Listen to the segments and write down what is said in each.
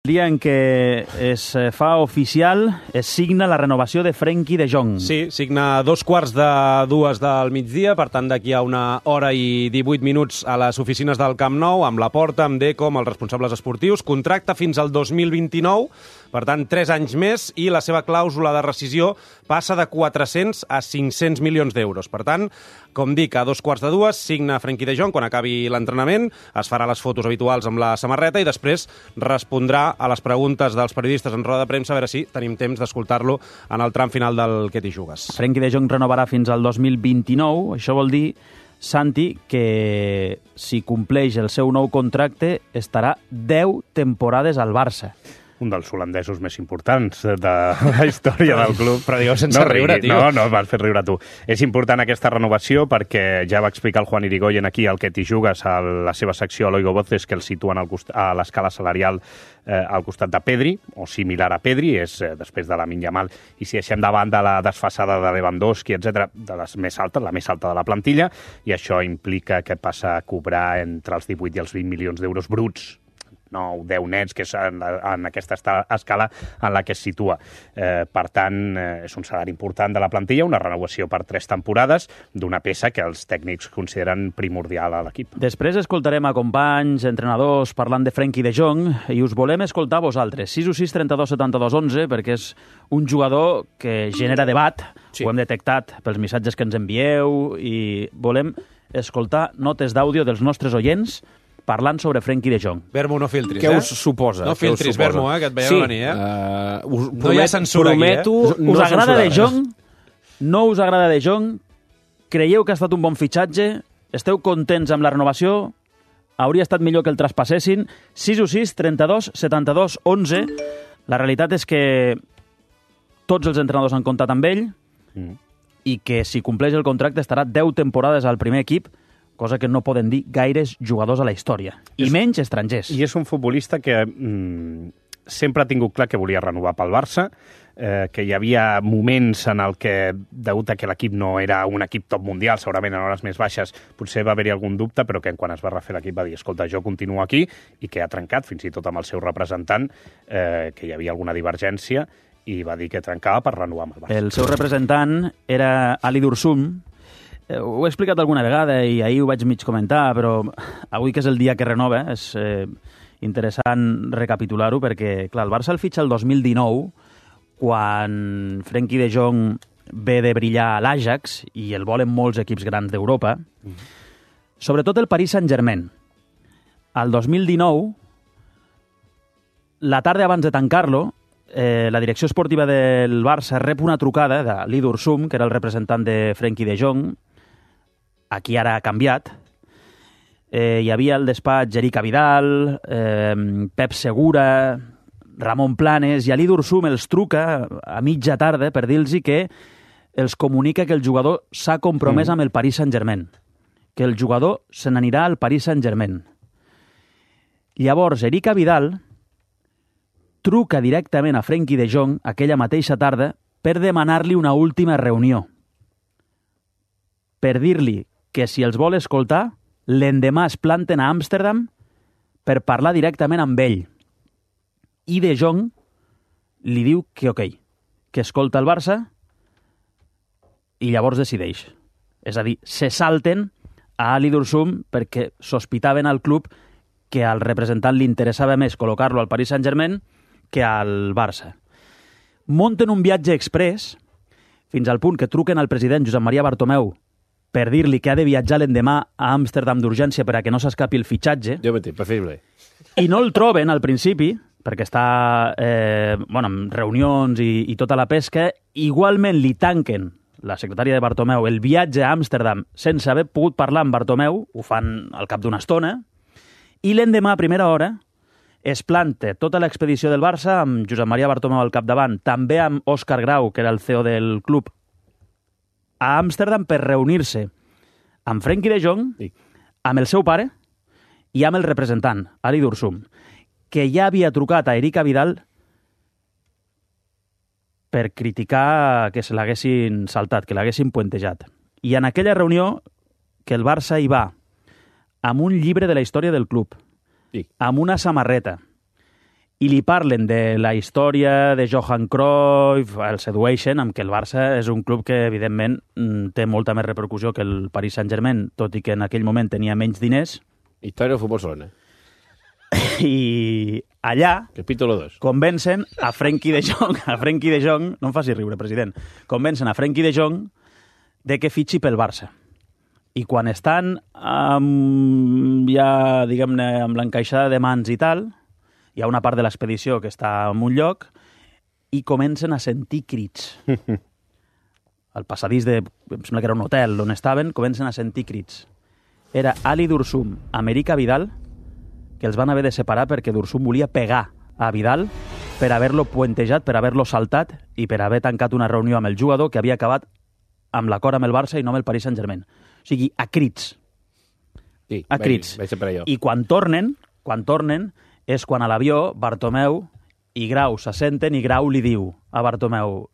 El dia en què es fa oficial, es signa la renovació de Frenkie de Jong. Sí, signa a 2:45 del migdia, per tant d'aquí a 1 hora i 18 minuts a les oficines del Camp Nou, amb Laporta, amb Deco, amb els responsables esportius. Contracte fins al 2029, per tant 3 anys més, i la seva clàusula de rescisió passa de 400 a 500 milions d'euros. Per tant, com dic, a 2:45 signa Frenkie de Jong quan acabi l'entrenament, es farà les fotos habituals amb la samarreta i després respondrà a les preguntes dels periodistes en roda de premsa, a veure si tenim temps d'escoltar-lo en el tram final del Què t'hi jugues. Frenkie de Jong renovarà fins al 2029. Això vol dir, Santi, que si compleix el seu nou contracte estarà 10 temporades al Barça. Un dels holandesos més importants de la història del club. Però digueu sense riure, tio. No, m'has fet riure tu. És important aquesta renovació perquè ja va explicar el Juan Irigoyen aquí al que t'hi jugues a la seva secció a l'Oigo Voces, que el situen a l'escala salarial al costat de Pedri, o similar a Pedri, és després de Lamine Yamal, i si deixem davant de la desfasada de Lewandowski, etc, de les més altes, la més alta de la plantilla, i això implica que passa a cobrar entre els 18 i els 20 milions d'euros bruts, no 10 nets, que és en aquesta escala en la que es situa. Per tant, és un salari important de la plantilla, una renovació per 3 temporades d'una peça que els tècnics consideren primordial a l'equip. Després escoltarem a companys, entrenadors, parlant de Frenkie de Jong, i us volem escoltar a vosaltres. 616 32 72 11, perquè és un jugador que genera debat, sí. Ho hem detectat pels missatges que ens envieu, i volem escoltar notes d'àudio dels nostres oients parlant sobre Frenkie de Jong. Vermo, no filtris, Què us suposa? No filtris, Vermo, que et veiem venir, No hi ha censura prometo, aquí, Us agrada de Jong? No us agrada de Jong? Creieu que ha estat un bon fitxatge? Esteu contents amb la renovació? Hauria estat millor que el traspassessin? 616 32 72 11. La realitat és que tots els entrenadors han comptat amb ell i que si compleix el contracte estarà 10 temporades al primer equip, cosa que no poden dir gaires jugadors a la història, i menys estrangers. I és un futbolista que sempre ha tingut clar que volia renovar pel Barça, que hi havia moments en el que, degut a que l'equip no era un equip top mundial, segurament en hores més baixes, potser va haver-hi algun dubte, però que quan es va refer l'equip va dir, escolta, jo continuo aquí, i que ha trencat, fins i tot amb el seu representant, que hi havia alguna divergència, i va dir que trencava per renovar amb el Barça. El seu representant era Ali Dursum. Ho he explicat alguna vegada i ahir ho vaig mig comentar, però avui que és el dia que renova és interessant recapitular-ho perquè, clar, el Barça el fitxa el 2019 quan Frenkie de Jong ve de brillar a l'Ajax i el volen molts equips grans d'Europa, sobretot el Paris Saint-Germain. Al 2019, la tarda abans de tancar-lo, la direcció esportiva del Barça rep una trucada d'Ali Dursum, que era el representant de Frenkie de Jong, aquí ara ha canviat. Hi havia el despatx Eric Vidal, Pep Segura, Ramon Planes, i Ali Dursum els truca a mitja tarda per dir-los que els comunica que el jugador s'ha compromès amb el Paris Saint-Germain, que el jugador se n'anirà al Paris Saint-Germain. Llavors, Eric Vidal truca directament a Frenkie de Jong aquella mateixa tarda per demanar-li una última reunió, per dir-li que si els vol escoltar, l'endemà es planten a Amsterdam per parlar directament amb ell. I de Jong li diu que ok, que escolta el Barça i llavors decideix. És a dir, se salten a Ali Dursum perquè sospitaven al club que al representant li interessava més col·locar-lo al Paris Saint-Germain que al Barça. Monten un viatge express fins al punt que truquen al president Josep Maria Bartomeu per dir-li que ha de viatjar l'endemà a Amsterdam d'urgència per a que no s'escapi el fitxatge. Jo mateix, preferible. I no el troben al principi, perquè està en reunions i tota la pesca. Igualment li tanquen, la secretària de Bartomeu, el viatge a Amsterdam sense haver pogut parlar amb Bartomeu, ho fan al cap d'una estona, i l'endemà a primera hora es planta tota l'expedició del Barça amb Josep Maria Bartomeu al capdavant, també amb Òscar Grau, que era el CEO del club, a Amsterdam per reunir-se amb Frenkie de Jong, amb el seu pare i amb el representant, Ali Dursum, que ja havia trucat a Eric Vidal per criticar que se l'haguessin saltat, que l'haguessin puentejat. I en aquella reunió, que el Barça hi va amb un llibre de la història del club, amb una samarreta i li parlen de la història de Johan Cruyff, el sedueixen amb que el Barça és un club que, evidentment, té molta més repercussió que el Paris Saint-Germain, tot i que en aquell moment tenia menys diners. Història del futbol Solana. I allà Capítulo 2. convencen a Frenkie de Jong, no em faci riure, president, convencen a Frenkie de Jong de que fitxi pel Barça. I quan estan ja, diguem-ne, amb l'encaixada de mans i tal, hi ha una part de l'expedició que està en un lloc i comencen a sentir crits. Al passadís em sembla que era un hotel on estaven, comencen a sentir crits. Era Ali Dursum, América Vidal, que els van haver de separar perquè Dursum volia pegar a Vidal per haver-lo puentejat, per haver-lo saltat i per haver tancat una reunió amb el jugador que havia acabat amb l'acord amb el Barça i no amb el Paris Saint-Germain. O sigui, a crits. Sí, A crits. Vaig ser per allò. I quan tornen, és quan a l'avió Bartomeu i Grau s'assenten i Grau li diu a Bartomeu: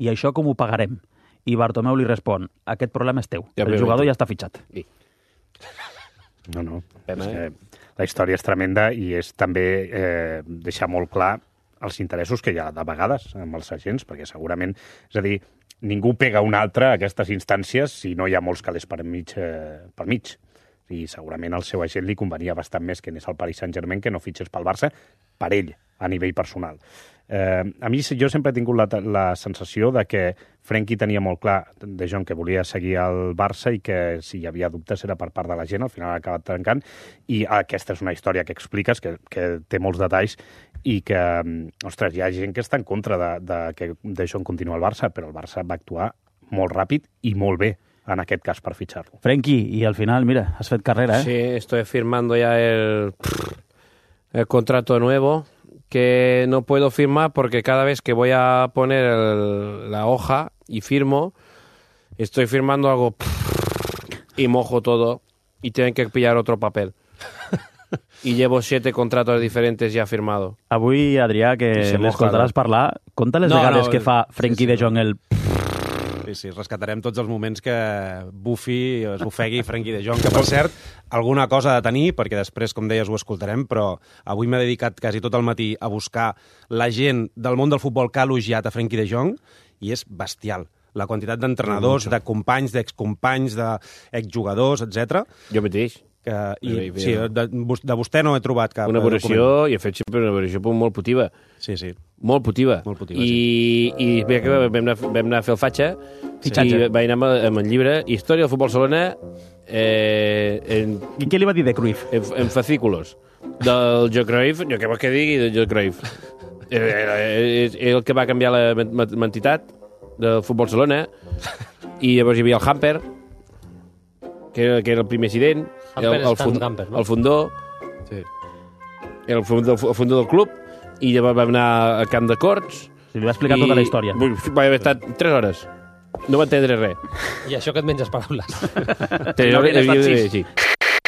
i això com ho pagarem? I Bartomeu li respon: aquest problema és teu, Ja, el jugador ja està fitxat. Sí. No. Pena, És que la història és tremenda i és també deixar molt clar els interessos que hi ha de vegades amb els agents, perquè segurament, és a dir, ningú pega un altre a aquestes instàncies si no hi ha molts calés per mig. I segurament al seu agent li convenia bastant més que anés al Paris Saint-Germain que no fitxés pel Barça, per ell, a nivell personal. A mi, jo sempre he tingut la sensació de que Frenkie tenia molt clar de Jong que volia seguir al Barça i que si hi havia dubtes era per part de la gent, al final ha acabat trencant, i aquesta és una història que expliques, que té molts detalls, i que, ostres, hi ha gent que està en contra de que de Jong continua al Barça, però el Barça va actuar molt ràpid i molt bé en aquest cas per fitxar-lo. Frenkie, i al final, mira, has fet carrera, Sí, estoy firmando ya el contrato nuevo, que no puedo firmar porque cada vez que voy a poner la hoja y firmo, estoy firmando algo y mojo todo y tienen que pillar otro papel. Y llevo 7 contratos diferentes ya firmado. Avui, Adrià, que I se moja, l'escoltaràs parlar, conta les vegades que fa Frenkie de Jong el... Sí, rescatarem tots els moments que bufi, es bufegui Frenkie de Jong, que per cert, alguna cosa ha de tenir, perquè després, com deies, ho escoltarem, però avui m'he dedicat quasi tot el matí a buscar la gent del món del futbol que ha elogiat a Frenkie de Jong, i és bestial. La quantitat d'entrenadors, de companys, d'excompanys, d'exjugadors, etc. Jo mateix. Sí, de vostè no he trobat cap Una valoració, i he fet sempre una valoració molt positiva. Sí. Molt positiva. I bé que vam anar a fer el fitxatge i vaig anar amb el llibre Història del futbol Solana I què li va dir de Cruyff? en fascículos. Del Joe Cruyff, jo què vols que digui del Joe Cruyff? És el que va canviar la entitat del futbol Solana, i llavors hi havia el Hamper, que era el primer accident, el fundó, Sí. el fundó del club, i llavors vam anar al camp de Corts. Si li va explicar tota la història. Va haver estat 3 hores. No va entendre res. I això que et menges paraules. 3 hores, sí.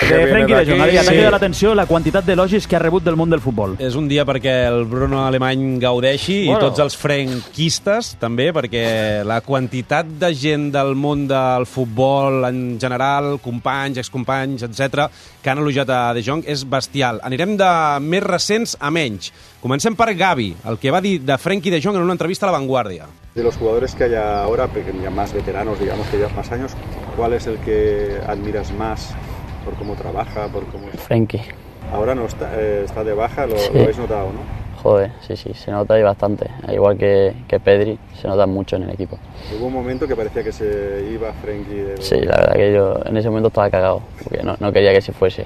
De Frenkie de Jong, Adrià, t'ha cridat l'atenció la quantitat d'elogis que ha rebut del món del futbol. És un dia perquè el Bruno Alemany gaudeixi i tots els frenquistes també, perquè la quantitat de gent del món del futbol en general, companys, excompanys, etc, que han elogiat a De Jong és bestial. Anirem de més recents a menys. Comencem per Gavi, el que va dir de Frenkie de Jong en una entrevista a La Vanguardia. De los jugadores que hay ahora, ya más veteranos, digamos que llevan más años, ¿cuál es el que admiras más por cómo trabaja, por cómo... Frenkie. Ahora no está de baja, lo Sí. habéis notado, ¿no? Joder, sí, se nota ahí bastante. Igual que Pedri, se nota mucho en el equipo. Hubo un momento que parecía que se iba Frenkie. Sí, la verdad que yo en ese momento estaba cagado, porque no quería que se fuese.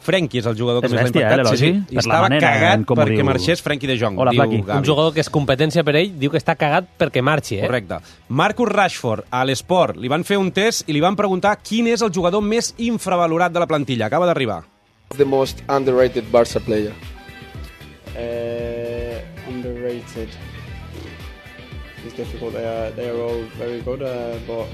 Frenkie és el jugador que És més l'ha bèstia, impactat. l'elogi? I Per la estava manera cagat en com ho perquè diu. marxés Frenkie de Jong. Hola, diu Flaqui. Gavi. Un jugador que és competència per ell diu que està cagat perquè marxi, Correcte. Marcus Rashford, a l'Esport, li van fer un test i li van preguntar quin és el jugador més infravalorat de la plantilla. Acaba d'arribar. The most underrated Barca player. Underrated. It's difficult. They are all very good, but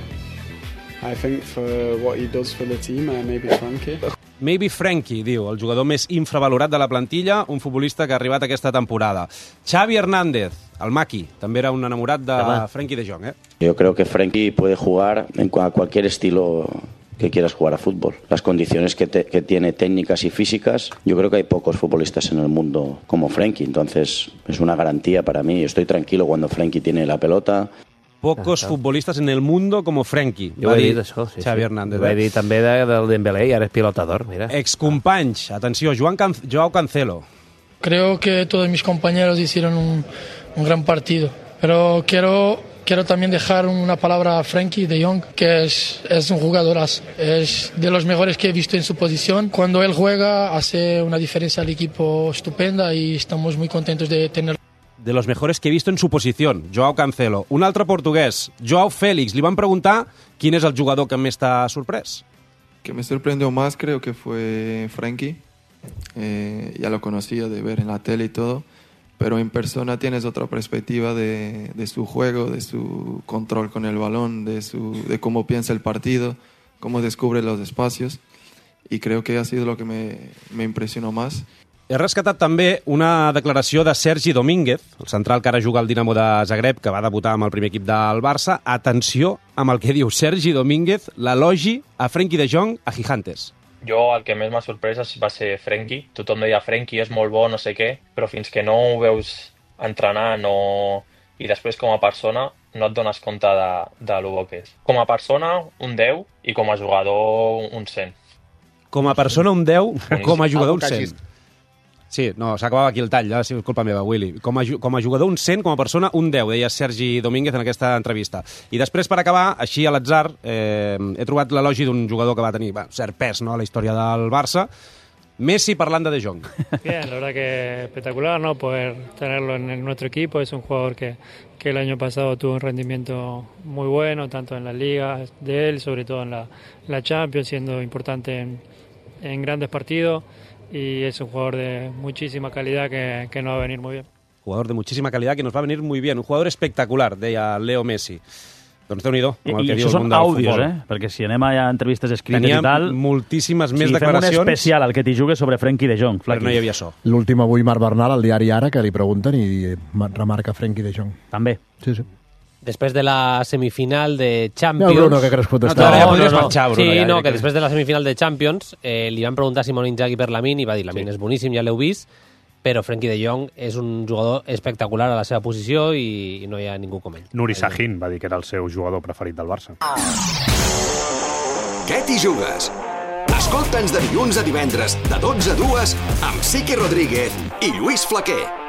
I think for what he does for the team, maybe Frankie. Maybe Frenkie, diu, el jugador més infravalorat de la plantilla, un futbolista que ha arribat aquesta temporada. Xavi Hernández, el Maki, també era un enamorat de Frenkie de Jong, Yo creo que Frenkie puede jugar a cualquier estilo que quieras jugar a fútbol. Las condiciones que tiene técnicas y físicas, yo creo que hay pocos futbolistas en el mundo como Frenkie, entonces es una garantía para mí. Estoy tranquilo cuando Frenkie tiene la pelota. Pocos futbolistes en el mundo com Frenkie. Jo ho he dit, això. Sí, Xavi Hernández. Ho he dit també del Dembélé i ara és pilotador, mira. Excompanys, atenció, Joao Cancelo. Creo que todos mis compañeros hicieron un gran partido, pero quiero también dejar una palabra a Frenkie de Jong, que es un jugadorazo, es de los mejores que he visto en su posición. Cuando él juega hace una diferencia al equipo estupenda y estamos muy contentos de tenerlo. De los mejores que he visto en su posición, Joao Cancelo. Un altre portuguès, Joao Félix. Li van preguntar quién es el jugador que més t'ha sorprès. Que me sorprendió más creo que fue Frenkie. Ya lo conocía de ver en la tele y todo, pero en persona tienes otra perspectiva de su juego, de su control con el balón, de cómo piensa el partido, cómo descubre los espacios, y creo que ha sido lo que me impresionó más. He rescatat també una declaració de Sergi Domínguez, el central que ara juga al Dinamo de Zagreb, que va debutar amb el primer equip del Barça. Atenció amb el que diu Sergi Domínguez, l'elogi a Frenkie de Jong a Gigantes. Jo el que més m'ha sorprès va ser Frenkie. Tothom deia Frenkie és molt bo, no sé què, però fins que no ho veus entrenar i després com a persona no et dones compte de lo bo que és. Com a persona, un 10, i com a jugador, un 100. Com a persona, un 10, com a jugador, un 100. Sí, no, s'acabava aquí el tall, ja, sí, és culpa meva, Willy. Com a jugador, un 100, com a persona, un 10, deia Sergi Domínguez en aquesta entrevista. I després, per acabar, així a l'atzar, he trobat l'elogi d'un jugador que va tenir cert pes, ¿no?, a la història del Barça, Messi parlando de Jong. Bien, la verdad que espectacular, ¿no?, poder tenerlo en nuestro equipo. Es un jugador que el año pasado tuvo un rendimiento muy bueno, tanto en la Liga de él, sobre todo en la Champions, siendo importante en grandes partidos. Y es un jugador de muchísima calidad que nos va a venir muy bien. Jugador de muchísima calidad que nos va a venir muy bien. Un jugador espectacular, deia Leo Messi. Doncs Déu-n'hi-do. I això són àudios, perquè si anem a entrevistes escrites i tal... Teníem moltíssimes més declaracions. Fem un especial al que t'hi jugues sobre Frenkie de Jong. Però no hi havia so. L'últim avui, Marc Bernal, al diari Ara, que li pregunten i remarca Frenkie de Jong. També. Sí, sí. Després de la semifinal de Champions... No, Bruno, que creus protestar? No, podries marxar, Bruno. Sí, no, que després de la semifinal de Champions li van preguntar a Simone Inzaghi per Lamine i va dir Lamine és boníssim, ja l'heu vist, però Frenkie de Jong és un jugador espectacular a la seva posició i no hi ha ningú com ell. Nuri Sahin va dir que era el seu jugador preferit del Barça. Què t'hi jugues? Escolta'ns de dilluns a divendres, de 12 a 2, amb Sique Rodríguez i Lluís Flaquer.